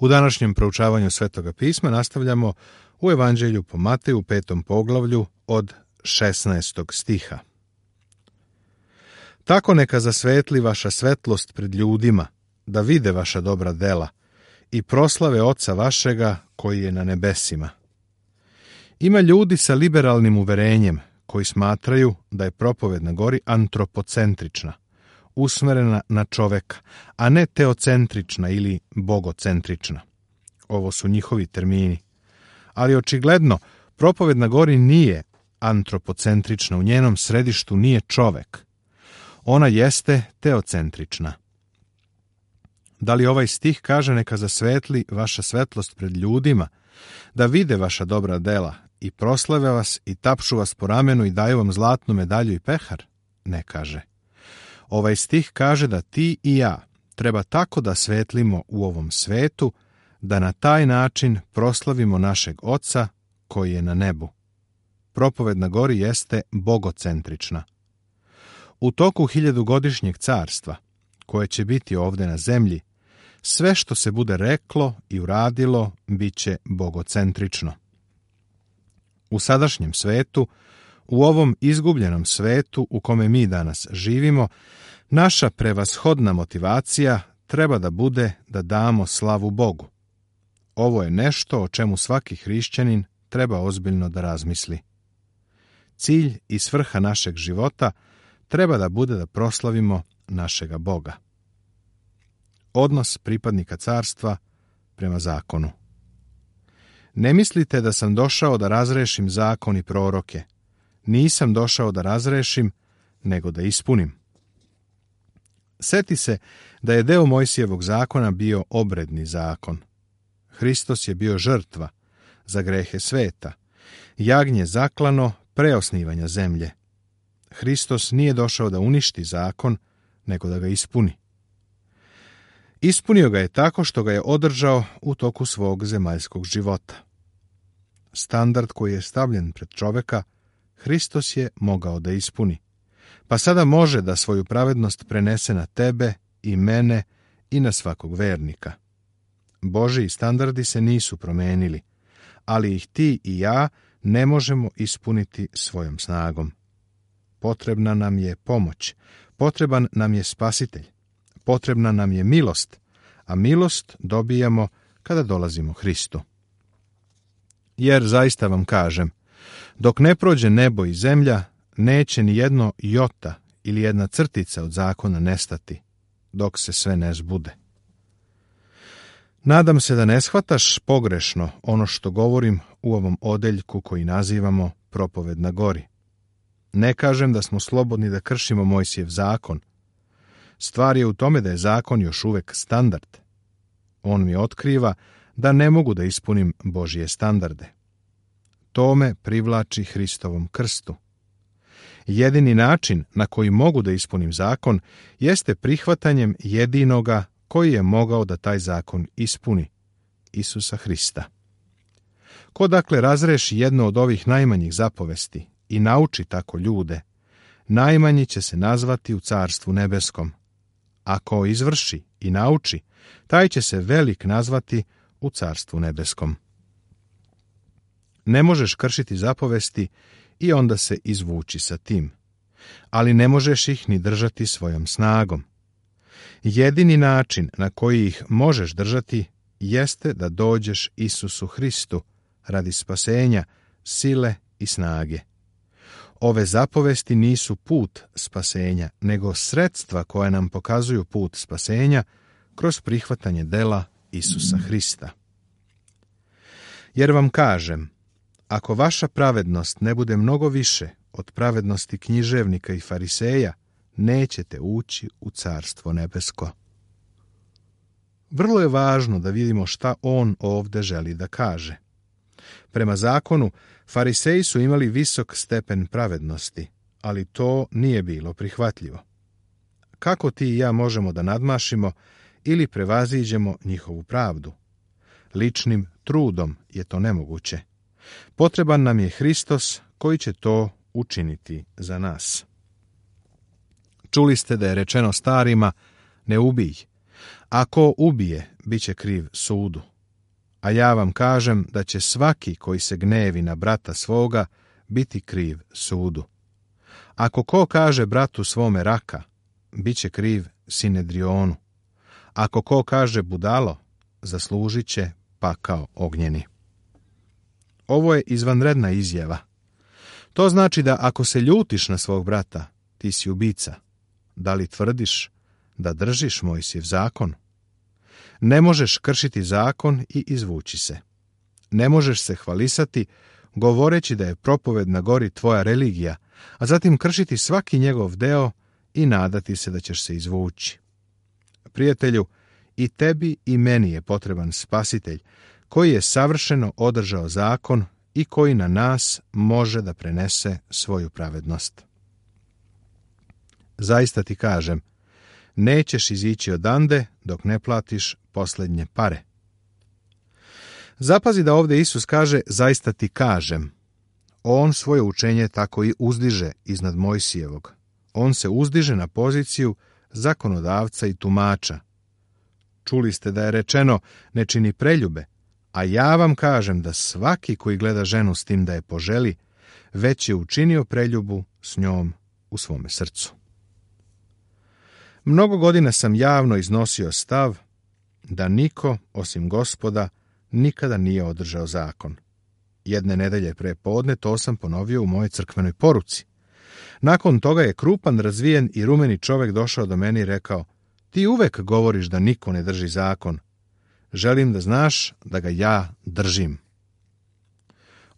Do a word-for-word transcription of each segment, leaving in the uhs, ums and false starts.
U današnjem proučavanju Svetoga pisma nastavljamo u Evanđelju po Mateju, petom poglavlju, od šesnaestog stiha. Tako neka zasvetli vaša svetlost pred ljudima, da vide vaša dobra dela i proslave Oca vašega koji je na nebesima. Ima ljudi sa liberalnim uverenjem koji smatraju da je propoved na gori antropocentrična, usmerena na čoveka, a ne teocentrična ili bogocentrična. Ovo su njihovi termini. Ali očigledno, propoved na gori nije antropocentrična, u njenom središtu nije čovek. Ona jeste teocentrična. Da li ovaj stih kaže neka zasvetli vaša svetlost pred ljudima, da vide vaša dobra dela i proslave vas i tapšu vas po ramenu i daju vam zlatnu medalju i pehar? Ne kaže. Ovaj stih kaže da ti i ja treba tako da svetlimo u ovom svetu, da na taj način proslavimo našeg Oca koji je na nebu. Propoved na gori jeste bogocentrična. U toku hiljadugodišnjeg carstva, koje će biti ovde na zemlji, sve što se bude reklo i uradilo bit će bogocentrično. U sadašnjem svetu, u ovom izgubljenom svetu u kome mi danas živimo, naša prevashodna motivacija treba da bude da damo slavu Bogu. Ovo je nešto o čemu svaki hrišćanin treba ozbiljno da razmisli. Cilj i svrha našeg života treba da bude da proslavimo našega Boga. Odnos pripadnika carstva prema zakonu. Ne mislite da sam došao da razrešim zakon i proroke. Nisam došao da razrešim, nego da ispunim. Seti se da je deo Mojsijevog zakona bio obredni zakon. Hristos je bio žrtva za grehe sveta, jagnje zaklano pre osnivanja zemlje. Hristos nije došao da uništi zakon, nego da ga ispuni. Ispunio ga je tako što ga je održao u toku svog zemaljskog života. Standard koji je stavljen pred čoveka, Hristos je mogao da ispuni, pa sada može da svoju pravednost prenese na tebe i mene i na svakog vernika. Božiji standardi se nisu promenili, ali ih ti i ja ne možemo ispuniti svojom snagom. Potrebna nam je pomoć, potreban nam je spasitelj, potrebna nam je milost, a milost dobijamo kada dolazimo Hristu. Jer zaista vam kažem, dok ne prođe nebo i zemlja, neće ni jedno jota ili jedna crtica od zakona nestati, dok se sve ne zbude. Nadam se da ne shvataš pogrešno ono što govorim u ovom odeljku koji nazivamo propoved na gori. Ne kažem da smo slobodni da kršimo Mojsijev zakon. Stvar je u tome da je zakon još uvek standard. On mi otkriva da ne mogu da ispunim Božje standarde. To me privlači Hristovom krstu. Jedini način na koji mogu da ispunim zakon jeste prihvatanjem jedinoga koji je mogao da taj zakon ispuni, Isusa Hrista. Ko dakle razreši jedno od ovih najmanjih zapovesti i nauči tako ljude, najmanji će se nazvati u Carstvu nebeskom. Ako izvrši i nauči, taj će se velik nazvati u Carstvu nebeskom. Ne možeš kršiti zapovesti i onda se izvući sa tim, ali ne možeš ih ni držati svojom snagom. Jedini način na koji ih možeš držati jeste da dođeš Isusu Hristu radi spasenja, sile i snage. Ove zapovesti nisu put spasenja, nego sredstva koja nam pokazuju put spasenja kroz prihvatanje dela Isusa Hrista. Jer vam kažem, ako vaša pravednost ne bude mnogo više od pravednosti književnika i fariseja, nećete ući u Carstvo nebesko. Vrlo je važno da vidimo šta on ovde želi da kaže. Prema zakonu, fariseji su imali visok stepen pravednosti, ali to nije bilo prihvatljivo. Kako ti i ja možemo da nadmašimo ili prevaziđemo njihovu pravdu? Ličnim trudom je to nemoguće. Potreban nam je Hristos koji će to učiniti za nas. Čuli ste da je rečeno starima, ne ubij. Ako ubije, bit će kriv sudu. a ja vam kažem da će svaki koji se gnevi na brata svoga biti kriv sudu. Ako ko kaže bratu svome raka, bit će kriv Sinedrionu. Ako ko kaže budalo, zaslužit će pakao ognjeni. Ovo je izvanredna izjava. To znači da ako se ljutiš na svog brata, ti si ubica. Da li tvrdiš da držiš Mojsijev zakon? Ne možeš kršiti zakon i izvući se. Ne možeš se hvalisati govoreći da je propoved na gori tvoja religija, a zatim kršiti svaki njegov deo i nadati se da ćeš se izvući. Prijatelju, i tebi i meni je potreban spasitelj koji je savršeno održao zakon i koji na nas može da prenese svoju pravednost. Zaista ti kažem, nećeš izići odande dok ne platiš posljednje pare. Zapazi da ovdje Isus kaže, zaista ti kažem. On svoje učenje tako i uzdiže iznad Mojsijevog. On se uzdiže na poziciju zakonodavca i tumača. Čuli ste da je rečeno, ne čini preljube, a ja vam kažem da svaki koji gleda ženu s tim da je poželi, već je učinio preljubu s njom u svome srcu. Mnogo godina sam javno iznosio stav da niko, osim Gospoda, nikada nije održao zakon. Jedne nedelje pre podne to sam ponovio u mojoj crkvenoj poruci. Nakon toga je krupan, razvijen i rumeni čovjek došao do mene i rekao, ti uvek govoriš da niko ne drži zakon. Želim da znaš da ga ja držim.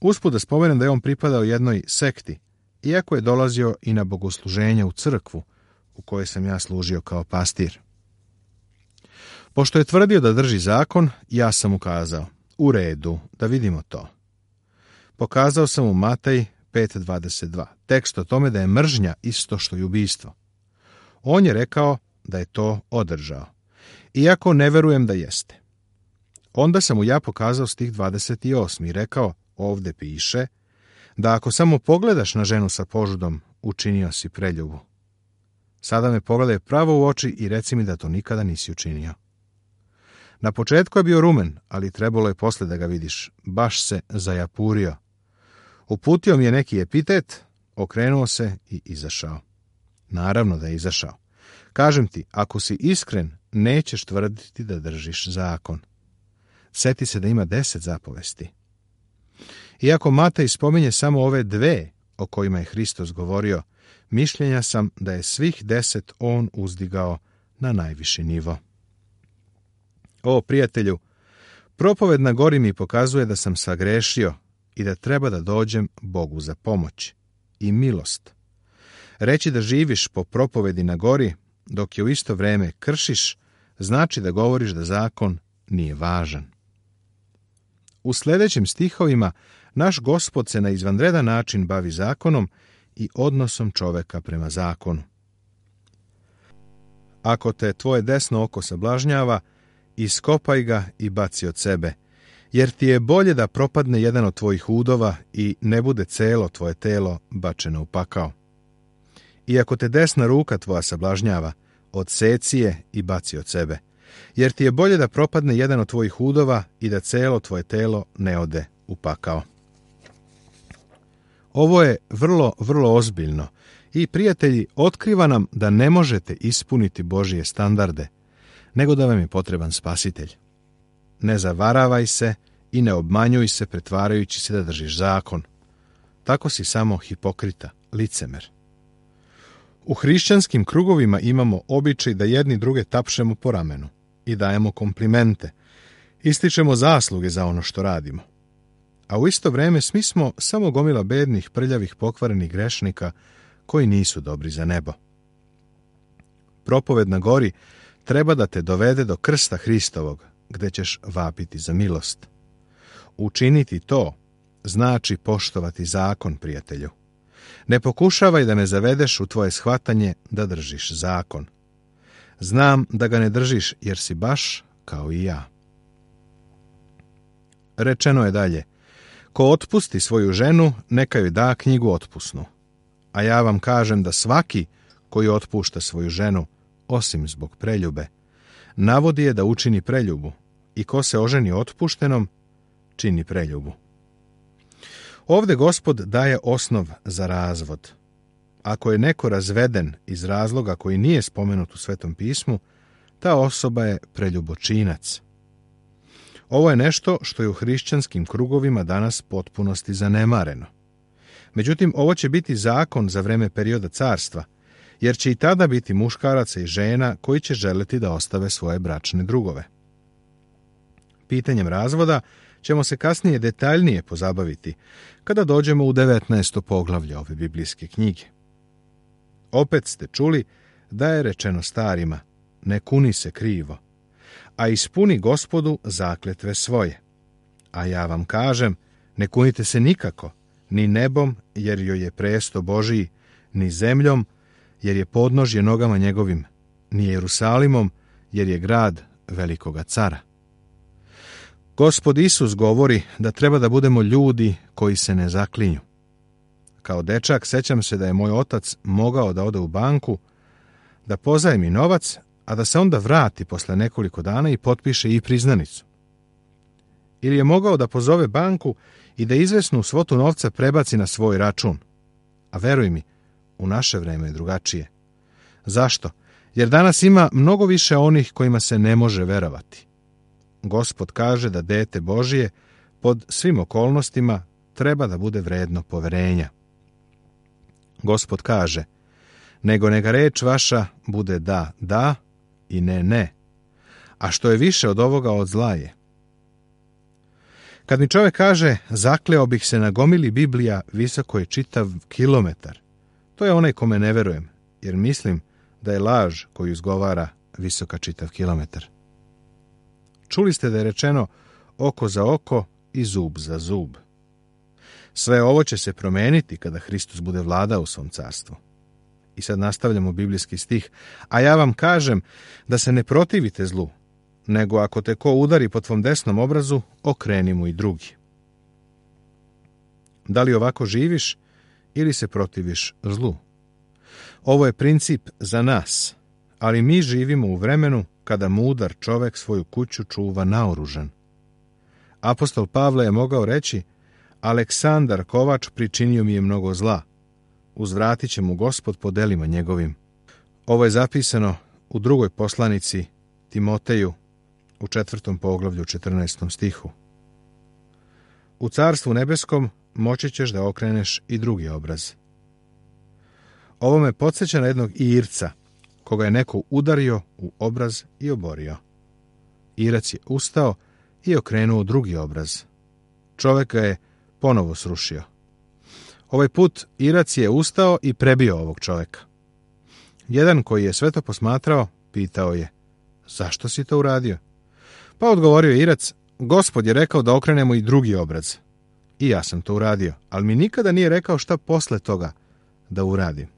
Usput da spomenem da je on pripadao jednoj sekti, iako je dolazio i na bogosluženje u crkvu, u kojoj sam ja služio kao pastir. Pošto je tvrdio da drži zakon, ja sam mu kazao, u redu, da vidimo to. Pokazao sam mu Matej pet dvadeset dva, tekst o tome da je mržnja isto što i ubistvo. On je rekao da je to održao, iako ne verujem da jeste. Onda sam mu ja pokazao stih dvadeset osam i rekao, ovdje piše, da ako samo pogledaš na ženu sa požudom, učinio si preljubu. Sada me pogledaj pravo u oči i reci mi da to nikada nisi učinio. Na početku je bio rumen, ali trebalo je posle da ga vidiš. Baš se zajapurio. Uputio mi je neki epitet, okrenuo se i izašao. Naravno da je izašao. Kažem ti, ako si iskren, nećeš tvrditi da držiš zakon. Sjeti se da ima deset zapovesti. Iako Matej spominje samo ove dve o kojima je Hristos govorio, mišljenja sam da je svih deset on uzdigao na najviši nivo. O, prijatelju, propoved na gori mi pokazuje da sam sagrešio i da treba da dođem Bogu za pomoć i milost. Reći da živiš po propovedi na gori, dok je u isto vreme kršiš, znači da govoriš da zakon nije važan. U sljedećim stihovima naš Gospod se na izvanredan način bavi zakonom i odnosom čoveka prema zakonu. Ako te tvoje desno oko sablažnjava, iskopaj ga i baci od sebe, jer ti je bolje da propadne jedan od tvojih udova i ne bude celo tvoje telo bačeno u pakao. I ako te desna ruka tvoja sablažnjava, odseci je i baci od sebe, jer ti je bolje da propadne jedan od tvojih udova i da celo tvoje telo ne ode u pakao. Ovo je vrlo, vrlo ozbiljno i, prijatelji, otkriva nam da ne možete ispuniti Božije standarde, nego da vam je potreban spasitelj. Ne zavaravaj se i ne obmanjuj se pretvarajući se da držiš zakon. Tako si samo hipokrita, licemer. U hrišćanskim krugovima imamo običaj da jedni druge tapšemo po ramenu i dajemo komplimente, ističemo zasluge za ono što radimo. A u isto vrijeme svi smo samo gomila bednih, prljavih, pokvarenih grešnika koji nisu dobri za nebo. Propoved na gori treba da te dovede do krsta Hristovog, gde ćeš vapiti za milost. Učiniti to znači poštovati zakon, prijatelju. Ne pokušavaj da me zavedeš u tvoje shvatanje da držiš zakon. Znam da ga ne držiš jer si baš kao i ja. Rečeno je dalje, ko otpusti svoju ženu, neka joj da knjigu otpusnu. A ja vam kažem da svaki koji otpušta svoju ženu, osim zbog preljube, navodi je da učini preljubu, i ko se oženi otpuštenom, čini preljubu. Ovde Gospod daje osnov za razvod. Ako je neko razveden iz razloga koji nije spomenut u Svetom pismu, ta osoba je preljubočinac. Ovo je nešto što je u hrišćanskim krugovima danas potpunosti zanemareno. Međutim, ovo će biti zakon za vreme perioda carstva, jer će i tada biti muškaraca i žena koji će želeti da ostave svoje bračne drugove. Pitanjem razvoda ćemo se kasnije detaljnije pozabaviti kada dođemo u devetnaesto poglavlje ove biblijske knjige. Opet ste čuli da je rečeno starima, ne kuni se krivo, a ispuni Gospodu zakletve svoje. A ja vam kažem, ne kunite se nikako, ni nebom, jer joj je presto Božiji, ni zemljom, jer je podnožje nogama njegovim, ni Jerusalimom, jer je grad velikoga cara. Gospod Isus govori da treba da budemo ljudi koji se ne zaklinju. Kao dečak sećam se da je moj otac mogao da ode u banku, da pozajmi novac, a da se onda vrati posle nekoliko dana i potpiše i priznanicu. Ili je mogao da pozove banku i da izvesnu svotu novca prebaci na svoj račun. A veruj mi, u naše vreme je drugačije. Zašto? Jer danas ima mnogo više onih kojima se ne može verovati. Gospod kaže da dete Božije pod svim okolnostima treba da bude vredno poverenja. Gospod kaže, nego neka reč vaša bude da, da i ne, ne. A što je više od ovoga, od zla je. Kad mi čovjek kaže, zakleo bih se na gomili Biblija, visoko je čitav kilometar, to je onaj kome ne verujem, jer mislim da je laž koju izgovara visoka čitav kilometar. Čuli ste da je rečeno oko za oko i zub za zub. Sve ovo će se promeniti kada Hristos bude vladao u svom carstvu. I sad nastavljamo biblijski stih. A ja vam kažem da se ne protivite zlu, nego ako te ko udari po tvom desnom obrazu, okreni mu i drugi. Da li ovako živiš ili se protiviš zlu? Ovo je princip za nas, ali mi živimo u vremenu kada mudar čovek svoju kuću čuva naoružan. Apostol Pavle je mogao reći, Aleksandar Kovač pričinio mi je mnogo zla. Uzvratit će mu Gospod po delima njegovim. Ovo je zapisano u drugoj poslanici Timoteju u četvrtom poglavlju četrnaestom stihu. U carstvu nebeskom moći ćeš da okreneš i drugi obraz. Ovo me podsjeća na jednog Irca, koga je neko udario u obraz i oborio. Irac je ustao i okrenuo drugi obraz. Čovek ga je ponovo srušio. Ovaj put Irac je ustao i prebio ovog čoveka. Jedan koji je sve to posmatrao, pitao je, zašto si to uradio? Pa odgovorio Irac, Gospod je rekao da okrenemo i drugi obraz. I ja sam to uradio, ali mi nikada nije rekao šta posle toga da uradim.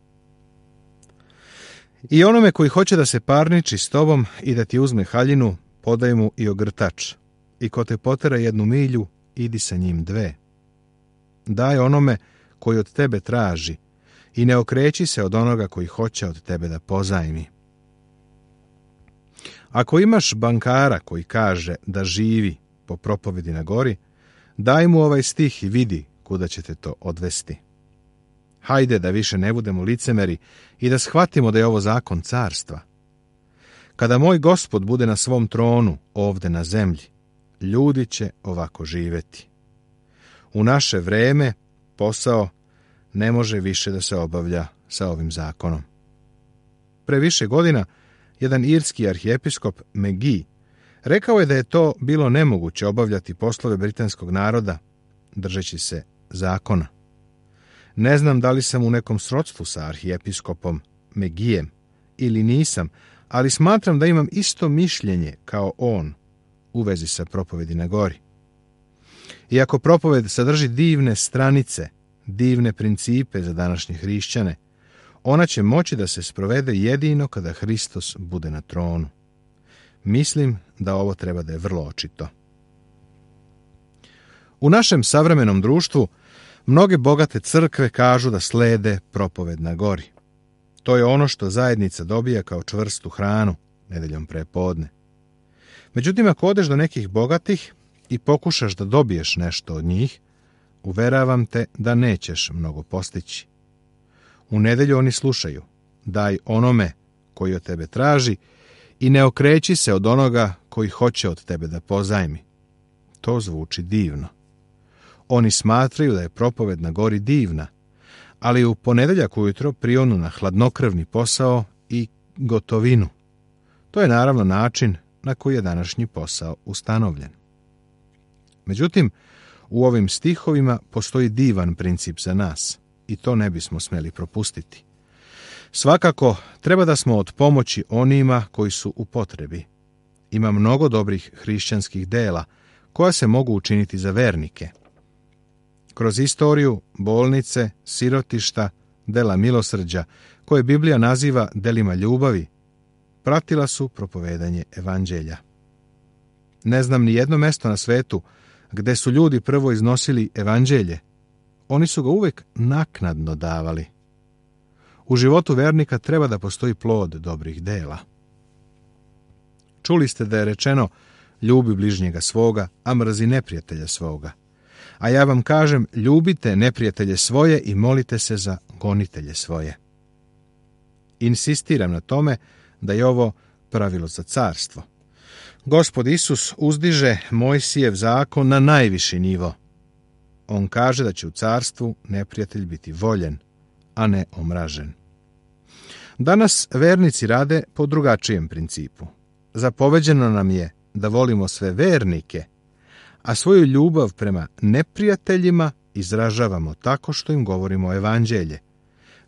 I onome koji hoće da se parniči s tobom i da ti uzme haljinu, podaj mu i ogrtač. I ko te potera jednu milju, idi sa njim dve. Daj onome koji od tebe traži i ne okreći se od onoga koji hoće od tebe da pozajmi. Ako imaš bankara koji kaže da živi po propovedi na gori, daj mu ovaj stih i vidi kuda će te to odvesti. Hajde da više ne budemo licemeri i da shvatimo da je ovo zakon carstva. Kada moj Gospod bude na svom tronu ovde na zemlji, ljudi će ovako živeti. U naše vreme posao ne može više da se obavlja sa ovim zakonom. Pre više godina jedan irski arhijepiskop McGee rekao je da je to bilo nemoguće obavljati poslove britanskog naroda držeći se zakona. Ne znam da li sam u nekom srodstvu sa arhijepiskopom McGeejem ili nisam, ali smatram da imam isto mišljenje kao on u vezi sa propovedi na gori. Iako propoved sadrži divne stranice, divne principe za današnje hrišćane, ona će moći da se sprovede jedino kada Hristos bude na tronu. Mislim da ovo treba da je vrlo očito. U našem savremenom društvu mnoge bogate crkve kažu da slede propoved na gori. To je ono što zajednica dobija kao čvrstu hranu nedeljom prepodne. Međutim, ako odeš do nekih bogatih i pokušaš da dobiješ nešto od njih, uveravam te da nećeš mnogo postići. U nedelju oni slušaju: daj onome koji od tebe traži i ne okreći se od onoga koji hoće od tebe da pozajmi. To zvuči divno. Oni smatraju da je propoved na gori divna, ali u ponedeljak ujutro prionu na hladnokrvni posao i gotovinu. To je naravno način na koji je današnji posao ustanovljen. Međutim, u ovim stihovima postoji divan princip za nas i to ne bismo smjeli propustiti. Svakako, treba da smo od pomoći onima koji su u potrebi. Ima mnogo dobrih hrišćanskih dela koja se mogu učiniti za vernike. Kroz istoriju, bolnice, sirotišta, dela milosrđa, koje Biblija naziva delima ljubavi, pratila su propovedanje evanđelja. Ne znam ni jedno mesto na svetu gde su ljudi prvo iznosili evanđelje. Oni su ga uvek naknadno davali. U životu vernika treba da postoji plod dobrih dela. Čuli ste da je rečeno: ljubi bližnjega svoga, a mrzi neprijatelja svoga. A ja vam kažem, ljubite neprijatelje svoje i molite se za gonitelje svoje. Insistiram na tome da je ovo pravilo za carstvo. Gospod Isus uzdiže Mojsijev zakon na najviši nivo. On kaže da će u carstvu neprijatelj biti voljen, a ne omražen. Danas vernici rade po drugačijem principu. Zapoveđeno nam je da volimo sve vernike, a svoju ljubav prema neprijateljima izražavamo tako što im govorimo evanđelje.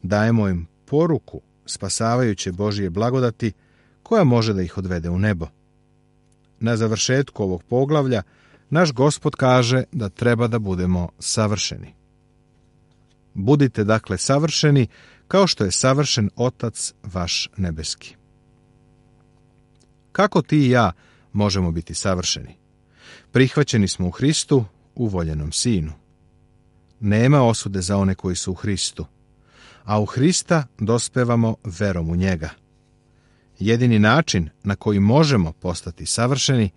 Dajemo im poruku spasavajuće Božije blagodati koja može da ih odvede u nebo. Na završetku ovog poglavlja naš Gospod kaže da treba da budemo savršeni. Budite dakle savršeni kao što je savršen Otac vaš nebeski. Kako ti i ja možemo biti savršeni? Prihvaćeni smo u Hristu, u voljenom Sinu. Nema osude za one koji su u Hristu, a u Hrista dospevamo verom u njega. Jedini način na koji možemo postati savršeni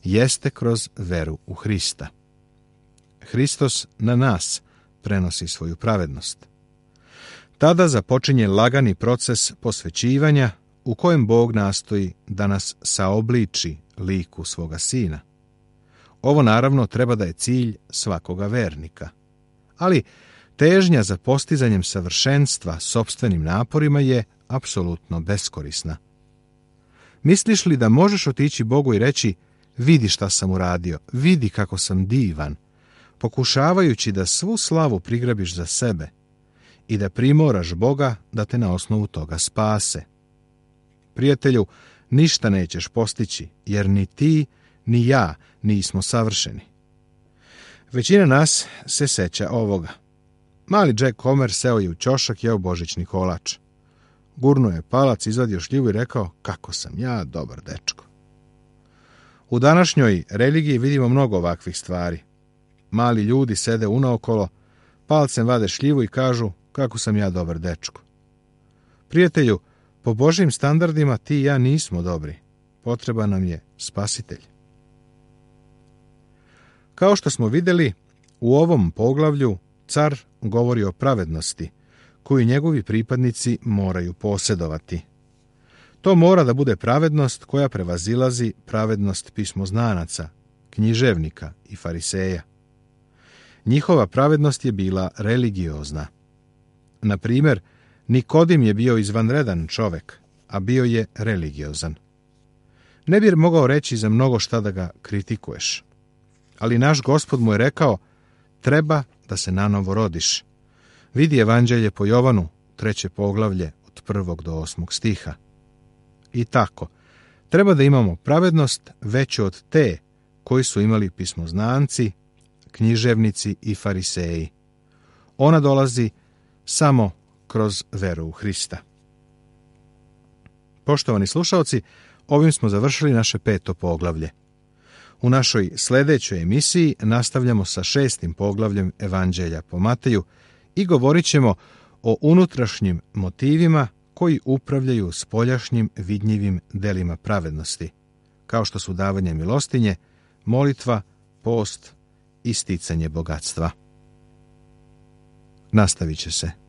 jeste kroz veru u Hrista. Hristos na nas prenosi svoju pravednost. Tada započinje lagani proces posvećivanja u kojem Bog nastoji da nas saobliči liku svoga Sina. Ovo naravno treba da je cilj svakoga vernika. Ali težnja za postizanjem savršenstva sopstvenim naporima je apsolutno beskorisna. Misliš li da možeš otići Bogu i reći: vidi šta sam uradio, vidi kako sam divan, pokušavajući da svu slavu prigrabiš za sebe i da primoraš Boga da te na osnovu toga spase? Prijatelju, ništa nećeš postići, jer ni ti, ni ja nismo savršeni. Većina nas se seća ovoga. Mali Jack Homer seo je u ćošak, jeo božićni kolač. Gurnuo je palac, izvadio šljivu i rekao: kako sam ja dobar dečko. U današnjoj religiji vidimo mnogo ovakvih stvari. Mali ljudi sede unaokolo, palcem vade šljivu i kažu: kako sam ja dobar dečko. Prijatelju, po Božjim standardima ti i ja nismo dobri. Potreban nam je spasitelj. Kao što smo vidjeli, u ovom poglavlju car govori o pravednosti koju njegovi pripadnici moraju posjedovati. To mora da bude pravednost koja prevazilazi pravednost pismoznanaca, književnika i fariseja. Njihova pravednost je bila religiozna. Na primjer, Nikodim je bio izvanredan čovek, a bio je religiozan. Ne bi mogao reći za mnogo šta da ga kritikuješ. Ali naš Gospod mu je rekao: treba da se nanovo rodiš. Vidi evanđelje po Jovanu, treće poglavlje, od prvog do osmog stiha. I tako, treba da imamo pravednost veću od te koji su imali pismoznanci, književnici i fariseji. Ona dolazi samo kroz veru u Hrista. Poštovani slušaoci, ovim smo završili naše peto poglavlje. U našoj sljedećoj emisiji nastavljamo sa šestim poglavljem Evanđelja po Mateju i govorit ćemo o unutrašnjim motivima koji upravljaju spoljašnjim vidljivim delima pravednosti, kao što su davanje milostinje, molitva, post i sticanje bogatstva. Nastavit će se.